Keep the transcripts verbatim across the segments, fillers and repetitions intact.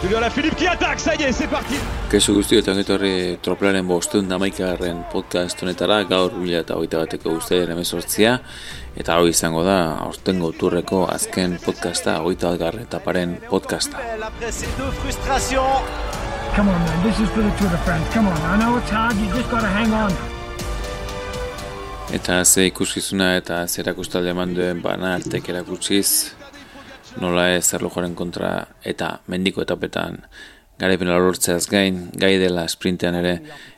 Julien Alaphilippe qui attaque, ça y est, c'est parti. Kesu guzti eta ongetorri Troplearen bostehun eta hamaikagarren podcast honetara, gaur bi mila hogeita bateko uztailaren hemezortzia, eta hau izango da aurtengo turreko azken podcasta, hogeita batgarren etaparen podcasta. Come on, man, this is for the Tour de France. Come on, I know it's hard, you just gotta hang on. Eta ze ikuskizuna eta ze erakustaldi eman duen Bana Artek erakutsiz, nola ez erlojuaren kontra eta mendiko etapetan garaipena lortzeaz gain, gai dela sprintean ere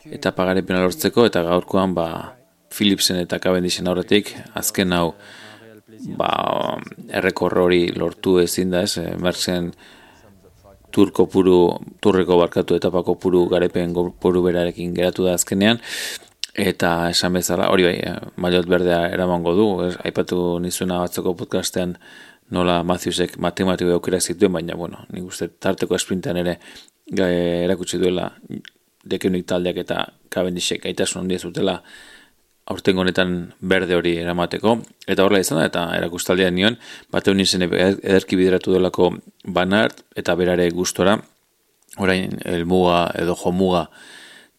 etapa garaipena lortzeko, eta gaurkoan ba Philipsen eta Cavendishen aurretik azken hau ba errekorro hori lortu ezin da, ez, Merckxen turko puru, turreko barkatu etapako puru garaipen puru berarekin geratu da azkenean, eta esan bezala, hori bai, maillot berdea eramango du, ez, aipatu nizuna batzoko podcastean nola Matthewsek matematiko aukera zituen, baina, bueno, nik uste tarteko sprintean ere erakutsi duela Deceuninck taldeak eta Cavendishek gaitasun handia zutela aurtengo honetan berde hori eramateko, eta horrela izan da, eta erakustaldian nion, bateu nizen ederki bideratu delako Van Aert, eta berare gustora, orain elmuga edo jomuga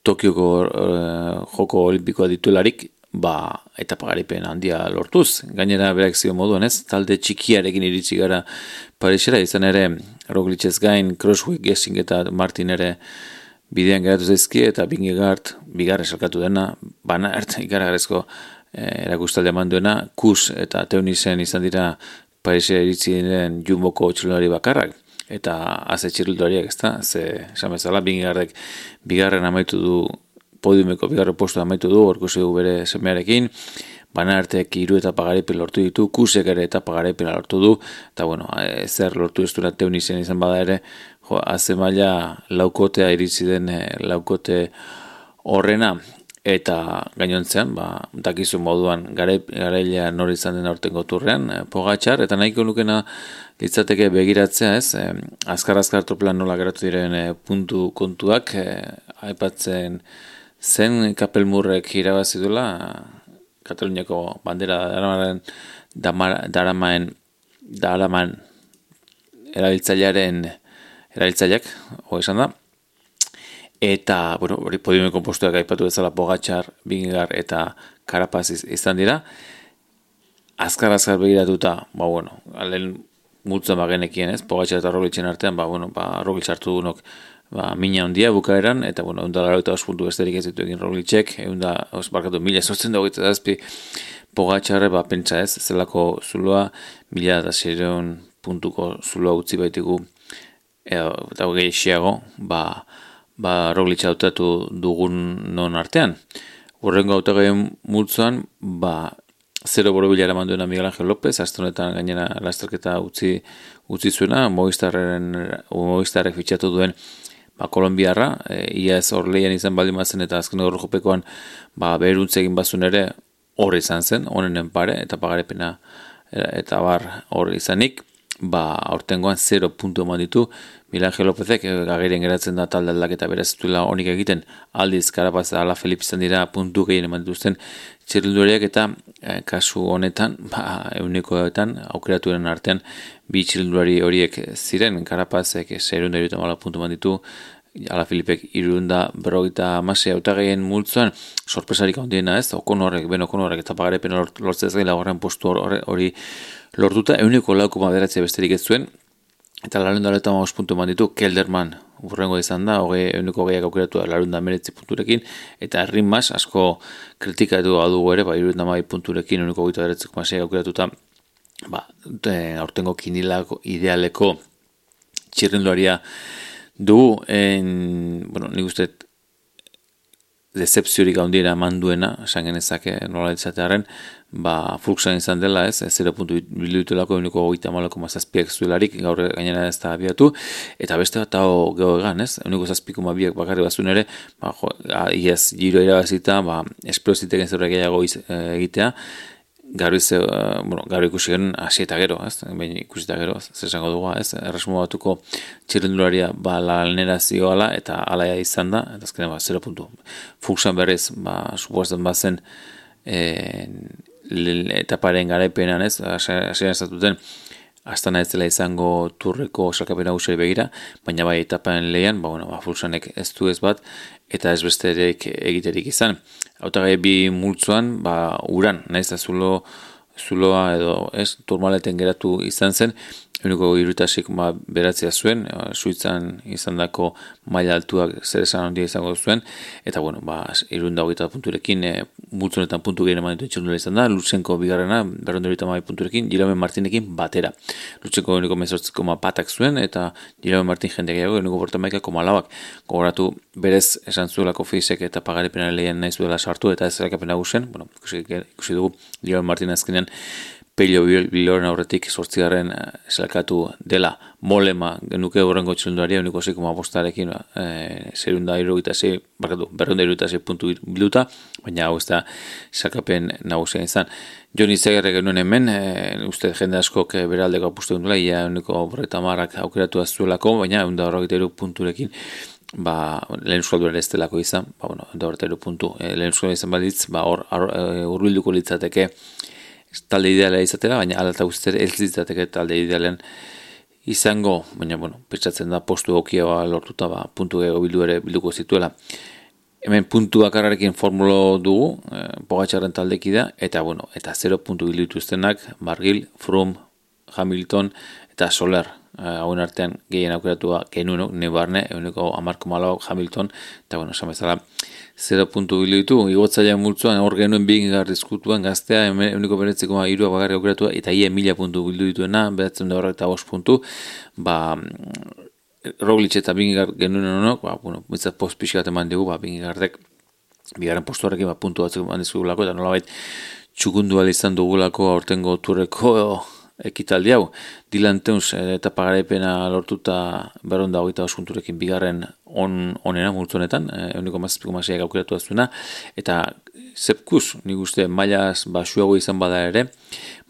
Tokioko uh, joko olimpikoa dituelarik, ba, etapa garaipen handia lortuz. Gainera berak zio moduan, ez, talde txikiarekin iritsi gara Parisera, izan ere Roglicez gain, Crosswick, Gessing eta Martin ere bidean geratu zaizki, eta Vingegaard bigarren salkatu dena, Van Aert ikaragarrezko eh, erakustaldi eman duena, Kuss eta Teunissen izan dira Parisera iritsi diren Jumboko txirrindulari bakarrak, eta haze txirrindulariak, ez da, ze esan bezala Vingegaardek bigarren amaitu du, podiumeko bigarren postu amaitu du, orkusi du bere semearekin, Van Aertek hiru etapa garaipen lortu ditu, Kussek ere etapa garaipen lortu du, eta bueno, zer lortu ez duela Teunissen izan bada ere, jo, haze maila laukotea iritsi den laukote horrena, eta gainontzean, ba, dakizu moduan garailea nori izan den aurtengo turrean, Pogačar, eta nahiko nukena litzateke begiratzea, ez, azkar-azkar troplan nola geratu diren puntu kontuak, aipatzen zen Kapelmurrek irabazi duela, Kataluniako bandera daramaren, daramaen, daraman erabiltzailearen erabiltzaileak, hori esan da, eta, bueno, hori podiumeko postuak aipatu bezala Pogačar, Vingegaard eta Carapaz izan dira, azkar-azkar begiratuta, ba, bueno, lehen multzen bagenekien, ez, Pogačar eta Roglicen artean, ba, bueno, ba, Roglic hartu dunok, ba, mina handia bukaeran, eta, bueno, egun da laurogeita bost puntu besterik ez ditu egin Roglicek, egun da, barkatu, mila sortzen da hogeita zazpi Pogačarre, ba, pentsa ez, zelako zuloa, mila eta seiehun puntuko zuloa utzi baitigu, eta gehiago, ba, ba, Roglic hautatu dugun non artean. Horrengo hautagaien multzoan, ba, zero borobila eraman duena Miguel Ángel López, astonetan gainera lasterketa utzi, utzi zuena, Movistarrek fitxatu duen ba, Kolombiarra, e, ia ez hor lehian izan baldin bazen, eta azken horro jopekoan ba, beheruntze egin bazun ere hor izan zen, honenen pare, eta pagarepena eta bar hor izanik, ba, aurtengoan zero puntu eman ditu, Miguel Ángel Lópezek agerian geratzen da talde aldaketa beraz zuela honik egiten, aldiz Carapaz eta Alaphilippe izan dira puntu gehien eman dituzten txirrindulariak, eta eh, kasu honetan, ba, eunikoetan aukeraturen artean bi txirrindulari horiek ziren, Carapazek seiehun eta hirurogeita hamalau puntu eman ditu, Alaphilippek hirurehun eta berrogeita hamasei hautagaien multzoan, sorpresarik handiena, ez, Okonorrek, ben Okonorrek eta pagarepena lortzez gain laugarren postu hori lortuta, euniko lau koma bederatzia besterik ez zuen, eta laurehun eta hogeita hamabost puntu eman ditu Kelderman, urrengo izan da, hogei euniko gehiak aukeratu da laurehun eta hemeretzi punturekin, eta Rinmas asko kritikatu adugu ere, ba, hirurogeita hamabi punturekin euniko hogeita bederatzi koma sei aukeratuta, ba, aurtengo kinilako idealeko txirrindularia dugu, en, bueno, nik uste decepziorik handiena eman duena, esan genezake nola ditzatearen, ba, Fuglsang izan dela, ez, zero puntu bildutelako euniko hogeita hamalau koma zazpiak zuelarik, gaur gainera ez da abiatu, eta beste bat hau geho egan, ez, euniko zazpi koma biak bakarri bazun ere, ba, jo, iaz giro irabazita, ba, esplositeken zerbait gehiago egitea, gaur ize, uh, bueno, gaur ikusi genuen hasi eta gero, ez, behin ikusi eta gero, zer esango dugu, ez, erresmo batuko txirrindularia, ba, lanera zioala, eta alaia izan da, eta azkenean, ba, zero puntu. Fuglsang berriz, ba, supuestan bazen, e, etaparen garaipenan, ez, hasieran estatuten Astana ez dela izango turreko sailkapen nagusiari begira, baina bai etapan lehian, ba, bueno, ba, Fulsanek ez du ez bat, eta ez besterik egiterik izan. Hautagai bi multzoan, ba, uran, naiz da zulo, zuloa edo ez, turmaleten geratu izan zen, uniko irutasik ba, beratzea zuen, Suitzan izan dako maila altuak zer esan handia izango zuen, eta bueno, ba, irunda hogeita punturekin, e, multzonetan puntu gehien eman dituen txirrindulari izan da, Lutsenko bigarrena, berrehun eta hogeita hamabi punturekin, Jaume Martinekin batera. Lutsenko uniko mezortzi koma batak zuen, eta Jaume Martin jende gehiago, uniko bortamaika koma lauak. Gogoratu, berez esan zuelako Fisek eta pagaripena lehen nahi zuela sartu, eta ez zelakapen nagusen, bueno, ikusi, ikusi dugu, Jaume Martin azkenean, Pelio Biloren aurretik sortzigarren zelakatu dela molema genuke horrengo txilundaria uniko zei koma bostarekin e, zerunda irugita zei, barkatu, berrunda irugita zei puntu bilduta, baina hau ez da zelakapen nagusia izan. Joni Zegerre genuen hemen, e, uste jende askok beraldeko apustu dela, ia uniko borreta marrak aukeratu azuelako, baina unda horregita iruk punturekin ba, lehen euskalduaren ez delako izan, ba, bueno, unda horreta iruk puntu, e, lehen euskalduaren izan balitz, ba, hor, e, urbilduko litzateke talde ideala izatera, baina alata guztiak ez litzateke talde idealen izango, baina, bueno, pentsatzen da postu okioa lortuta, ba, puntu gehiago bildu ere bilduko zituela. Hemen puntu bakarrarekin formulo dugu, eh, Pogačarren taldeki da, eta, bueno, eta zero puntu bildu dituztenak, Barguil, Froome, Hamilton, eta Soler, hauen eh, artean gehien aukeratua genuen, nebarne, eguneko hamar koma lau Hamilton, eta, bueno, esan bezala, zero puntu bildu ditu, igotzaia multzuan, hor genuen bigar diskutuan gaztea, eguneko beretzeko irua bagarri aukeratua, eta ia mila puntu bildu dituena, behatzen da horrek eta bost puntu, ba, Roglic eta bigar genuen honok, ba, bueno, mitzat post pixkat eman dugu, ba, bingardek, bigarren postu horrekin, ba, puntu batzuk eman dizugulako, eta nolabait txukundu izan dugulako aurtengo turreko ekitaldi hau. Dylan Teuns eta pagaraipena lortuta berrehun eta hogeita bost punturekin bigarren on, onena multzonetan, eguneko mazazpiko maseiak aukeratu aztuena, eta Sepkus, nik uste mailaz basuago izan bada ere,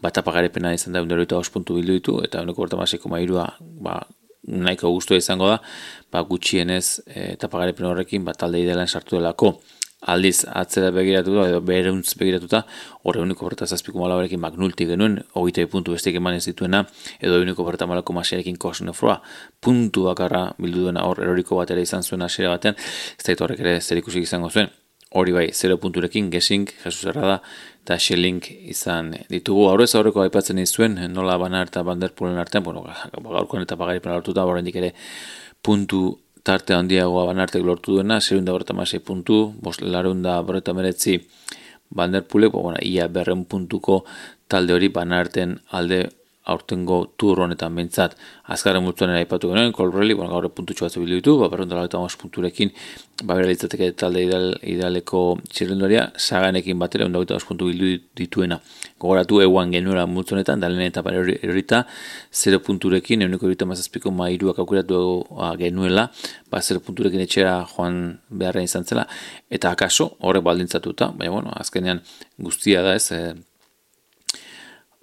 bat apagaraipena izan da eguneko hogeita bost puntu bildu ditu, eta eguneko borta maseiko mairua, ba, nahiko guztua izango da, ba, gutxienez eta pagaraipena horrekin, bat talde idealan sartu delako. Aldiz atzera begiratuta edo beruntz begiratuta horre uniko berta zazpiko malabarekin magnulti genuen, hogeita puntu besteik eman ez dituena, edo uniko berta malako masiarekin Kosnefroa puntu bakarra bildu duena hor eroriko bat ere izan zuen asera batean, ez da horrek ere zer ikusik izango zuen. Hori bai, zero punturekin, Gesink, Jesus Herrada eta Schelling izan ditugu. Aurrez aurreko aipatzen izuen, nola Banar eta Van der Poelen artean, bueno, gaurkoan eta pagaripen lortuta, horrendik ere puntu tarte handiagoa Banartek lortu duena, zerunda borta masei puntu, larunda borta meretzi Van der Poelek, bueno, ia berren puntuko talde hori Banarten alde aurtengo tur honetan bentsat. Azkarren multuan aipatu genuen, Colbrelli, bueno, gaur puntutxo batzu bildu ditu, ba, berrehun eta laurogeita hamabost punturekin, ba, bera litzateke talde ideal, idealeko txirrenduaria, Saganekin batera, ehun eta hogeita bost puntu bildu dituena. Gogoratu eguan genuela multzonetan, da lehen etapan erorita, zero punturekin, ehuneko hogeita hamazazpiko mairuak aukeratu genuela, ba, zero punturekin etxera joan beharren izan zela, eta akaso, horrek baldintzatuta, baina, bueno, azkenean guztia da ez, e,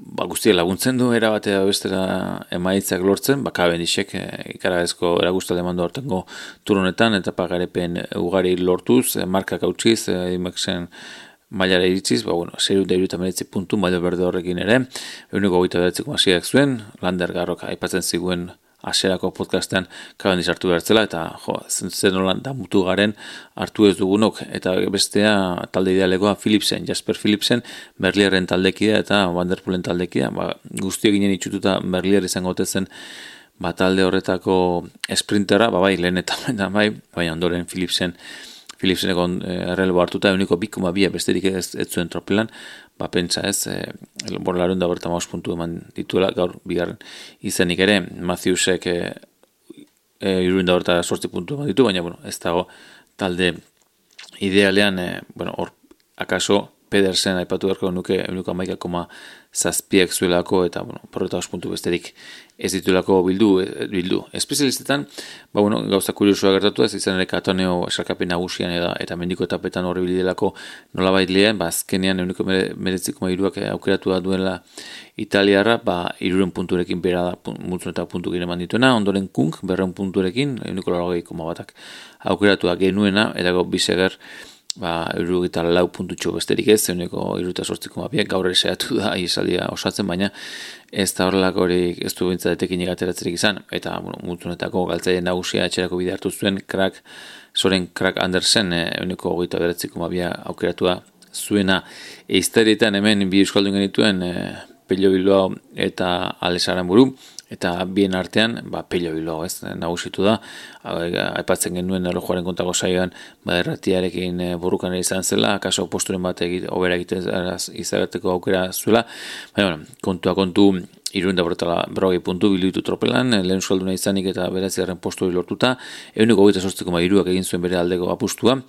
ba, guztia laguntzen du, era batea bestera emaitzak lortzen, ba, Cavendishek e, ikaragazko eragustalde mandu hortengo turonetan, eta pagarepen ugari lortuz, e, markak hautsiz, e, Dimexen mailara iritziz, ba, bueno, zeru da iruta meretzi puntu, mailo berde horrekin ere, eguneko goita behatzeko masiak zuen, Lander Garrok aipatzen ziguen aserako podcastean Cavendish hartu behartzela, eta jo, zen nolan da mutu garen hartu ez dugunok, eta bestea talde idealekoa Philipsen, Jasper Philipsen, Merlierren taldekidea eta Van der Poelen taldekidea, ba, guztiak ginen itxututa Merlier izango zen ba, talde horretako sprintera, ba, bai, lehen eta bai, bai, ondoren Philipsen, Philipseneko errelbo hartuta, eguneko bikoma bia besterik ez, ez zuen tropelan, ba, pentsa ez, e, borlarun da berta maus puntu eman dituela, gaur bigarren izenik ere, Matthewsek e, e, iruen da berta sortzi puntu eman ditu, baina, bueno, ez dago talde idealean, e, bueno, hor, akaso, Pedersen aipatu beharko nuke eguneko hamaika koma zazpiak zuelako, eta, bueno, porreta os puntu besterik ez ditulako bildu, bildu. Espezialistetan, ba, bueno, gauza kuriosua gertatu ez, izan ere Katoneo esarkapen nagusian eta, eta mendiko etapetan horri bilidelako nolabait lehen, ba, azkenean eguneko meretziko mairuak aukeratu da duela Italiarra, ba, iruren punturekin bera da multzun eta puntu gire mandituena, ondoren Kunk, berreun punturekin, eguneko larogei koma batak aukeratu da genuena, eta go biseger ba, hirurogeita lau puntutxo besterik ez, euneko hirurogeita zortzi koma biak, gaur ere saiatu da isaldia osatzen, baina ez da horrelako hori ez du bintzatetekin egateratzerik izan, eta bueno, multzunetako galtzaile nagusia etxerako bide hartu zuen, Krak, Soren Krak Andersen, euneko hogeita bederatzi koma bia aukeratua zuena. Eiztarietan hemen bi euskaldun genituen, e, Pello Bilbao eta Alex Aranburu, eta bien artean, ba, Pello Bilbao, ez, nagusitu da, aipatzen genuen erlojuaren kontako saioan, ba, erratiarekin borrukan izan zela, akaso posturen bat egite, obera egiten izagerteko aukera zuela, baina, bueno, kontua kontu, irurenda borretala berrogei puntu biluitu tropelan, lehen euskalduna izanik eta beratzigarren postu lortuta, eguneko goita sortzi koma hiruak egin zuen bere aldeko apustua,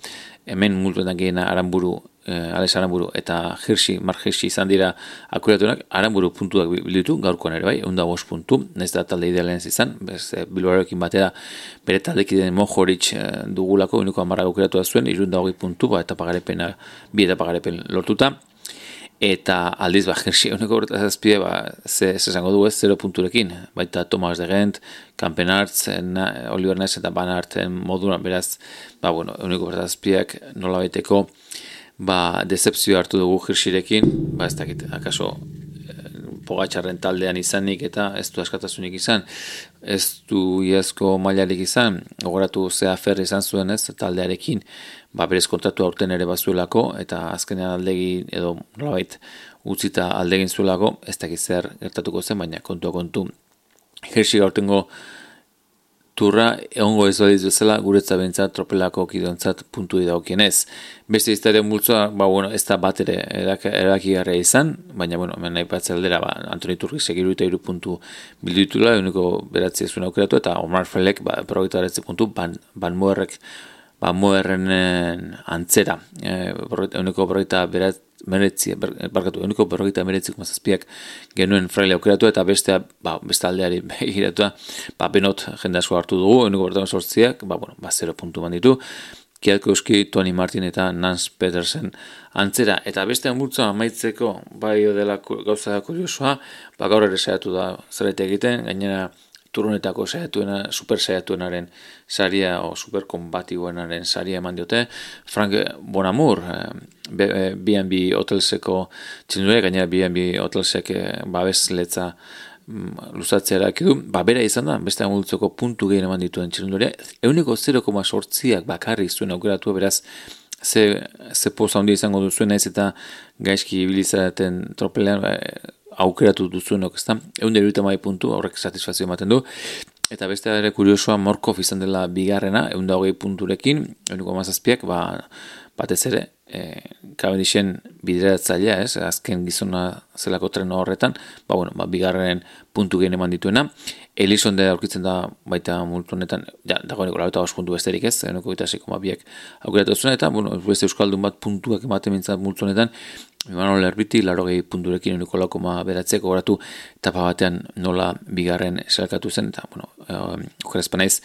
hemen multuetan gehiena Aranburu, eh, Alex Aranburu eta Hirsi, Mark Hirsi izan dira akuratunak, Aranburu puntuak bilditu, gaurkoan ere bai, eunda bost puntu, naiz da talde idealen izan, bez, e, Bilbaorekin batera bere taldekideen Mohoric e, dugulako, eguneko amarrak aukeratua zuen, irurenda hogei puntu, ba, eta pagarepena, bi eta pagarepen lortuta, eta aldiz, ba, Hirsi, eguneko horretazazpide, ba, ze, ze esango du ez, zero punturekin, baita Thomas de Gent, Kampenartz, Oliver Ness eta Van Aerten moduran, beraz, ba, bueno, eguneko horretazpideak nola baiteko, ba, decepzio hartu dugu Hirsirekin, ba, ez dakit, akaso, Pogatxarren taldean izanik eta ez du askatasunik izan, ez du iazko mailarik izan, gogoratu zea ferri izan zuen ez, taldearekin, ba berez kontratu aurten ere bazuelako, eta azkenean aldegi edo nolabait utzita aldegin zuelako, ez dakit zer gertatuko zen, baina kontua kontu. Hirsi gaurtengo turra egongo ez badiz bezala guretza bentsat tropelako kidontzat puntu idaukienez. Beste iztaren multzoa, ba, bueno, ez da bat ere erakigarria izan, baina, bueno, hemen nahi patze aldera, ba, Antoni Turki segiru eta iru puntu bilditula, eguneko beratzi ezuen aukeratu, eta Omar Felek, ba, berrogeita beratzi puntu, Ban, Ban Moerrek, Ban Moerrenen antzera, e, eguneko berrogeita beratzi, meretzi, barkatu, eguneko berrogeita meretzi kumazazpiak genuen Fraile aukeratu, eta beste, ba, beste aldeari begiratua, ba, benot jende asko hartu dugu, eguneko berrogeita sortziak, ba, bueno, ba, zero puntu banditu, Kielkowski, Tony Martin eta Nance Petersen antzera, eta beste amultzoa amaitzeko, bai dela gauza kuriosoa, ba, gaur ere saiatu da zerbait egiten, gainera turunetako saiatuena, super saiatuenaren saria o super kombatiboenaren saria eman diote, Frank Bonamur, B and B Hotelseko txindure, gainera B and B Hotelsek babes letza luzatzea eraki du, ba, bera izan da, beste amultzoko puntu gehien eman dituen txindure, euneko zero koma sortziak bakarrik zuen aukeratu, beraz, ze, ze poza handi izango duzuen naiz eta gaizki ibilizaten tropelean, ba, aukeratu duzuenok, ez da, egun derurita mai puntu, horrek satisfazio ematen du, eta beste ere kuriosoa Morkov izan dela bigarrena, egun da hogei punturekin, eguneko amazazpiak, ba, batez ere, e, Cavendishen bideratzailea, ez, azken gizona zelako treno horretan, ba, bueno, ba, bigarren puntu gehen eman dituena, Elizonde aurkitzen da baita multu honetan, ja, dagoeneko lauta bost puntu besterik ez, eguneko eta sei koma biak aukeratu zuen, eta, bueno, beste euskaldun bat puntuak ematen mintzat multu honetan, Imanol Erbiti, larogei punturekin eguneko lau koma beratzeko goratu, etapa batean nola bigarren zelkatu zen, eta, bueno, okerazpanaiz,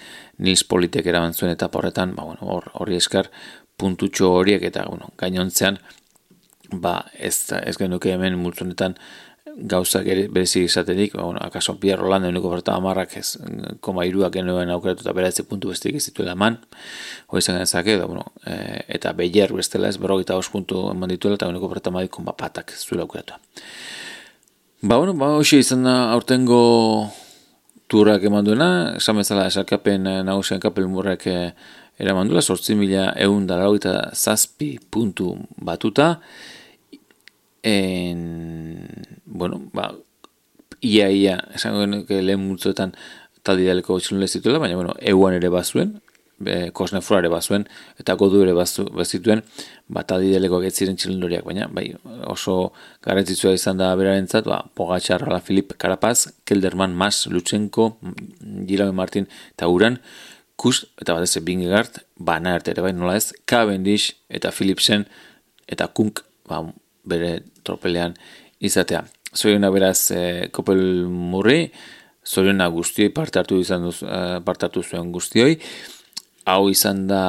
Nils Politek eraman zuen etapa horretan, ba, bueno, hor, horri eskar puntutxo horiek, eta, bueno, gainontzean, ba, ez, ez genuke hemen multu honetan, gauzak berezik izaterik, bueno, akaso Pierre Roland eguneko berta amarrak ez, koma iruak genuen aukeratu eta beratze puntu besterik ez dituela eman, hori izan genezake, da, bueno, e, eta Beyer bestela ez, berrogeita bost puntu eman dituela, eta eguneko berta amadik konba patak zuela aukeratu. Ba, bueno, ba, hoxe izan da aurtengo turrak eman duena, esan bezala esarkapen nagusian kapel murrek eraman duela, sortzi mila egun dara eta zazpi puntu batuta, En, bueno, ba, ia, ia, esango genuke lehen multzoetan taldi daleko txilunle zituela, baina, bueno, euan ere bazuen, e, Kosnefroa ere bazuen, eta godu ere bazituen, ba, taldi daleko getziren txilundoriak, baina, bai, oso garrantzitsua izan da berarentzat, ba, Pogačar, Alaphilippe, Carapaz, Kelderman, Mas, Lutsenko, Gilame Martin, eta Uran, Kus, eta bat ez, Vingegaard, Van Aert ere, bai, nola ez, Cavendish, eta Philipsen, eta Kunk, ba, bere tropelean izatea. Zoriona beraz e, Kopel Murri, zoriona guztioi parte hartu izan duz, e, parte hartu zuen guztioi. Hau izan da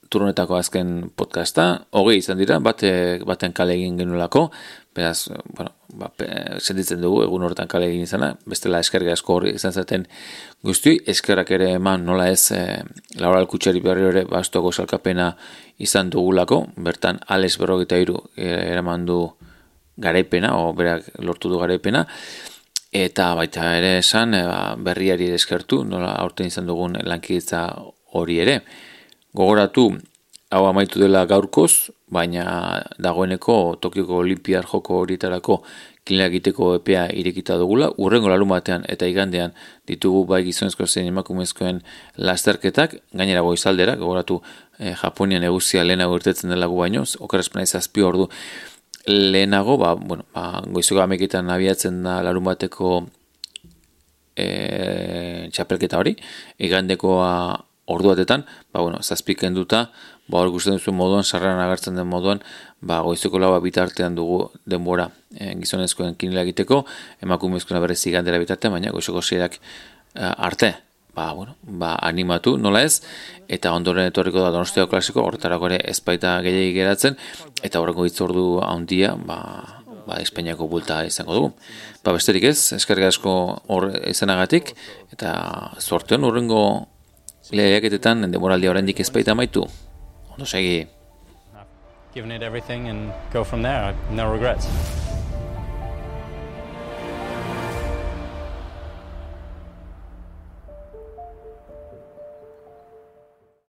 turnetako azken podcasta, hogei izan dira, bate, baten kale egin genuelako, beraz, bueno, ba, sentitzen dugu egun horretan kale egin izana, bestela eskerga asko hori izan zaten guztioi, eskerrak ere eman nola ez e, Laura Alkutxari berri ere bastoko salkapena izan dugulako, bertan Alex berrogeita hiru eraman du garaipena, o berak lortu du garaipena, eta baita ere esan e, berriari eskertu, nola aurten izan dugun lankidetza hori ere. Gogoratu, hau amaitu dela gaurkoz, baina dagoeneko Tokioko Olimpiar joko horietarako kinela egiteko epea irekita dugula, urrengo larun batean eta igandean ditugu bai gizonezko zein emakumezkoen lasterketak, gainera goizaldera, gogoratu eh, Japonian eguzia lehenago irtetzen dela gu baino, okerrezpena izazpi ordu lehenago, ba, bueno, ba, goizoko ameketan abiatzen da larun bateko eh, txapelketa hori, igandekoa ordu batetan, ba, bueno, zazpiken duta, ba, hor guztien duzuen moduan, sarreran agertzen den moduan, ba, goizeko laua bitartean dugu denbora e, gizonezkoen kinela egiteko, emakumezkoen berrez igandera bitartean, baina goizeko seirak e, arte, ba, bueno, ba, animatu, nola ez, eta ondoren etorriko da Donostia klasiko, horretarako ere ezpaita gehiagik geratzen, eta horreko hitzordu handia, ba, ba, Espainiako bulta izango dugu. Ba, besterik ez, eskerrik asko hor izanagatik, eta zorteon urrengo lehiaketetan denboraldia oraindik ezpaita amaitu. Ondo segi. Given it everything and go from there. No regrets.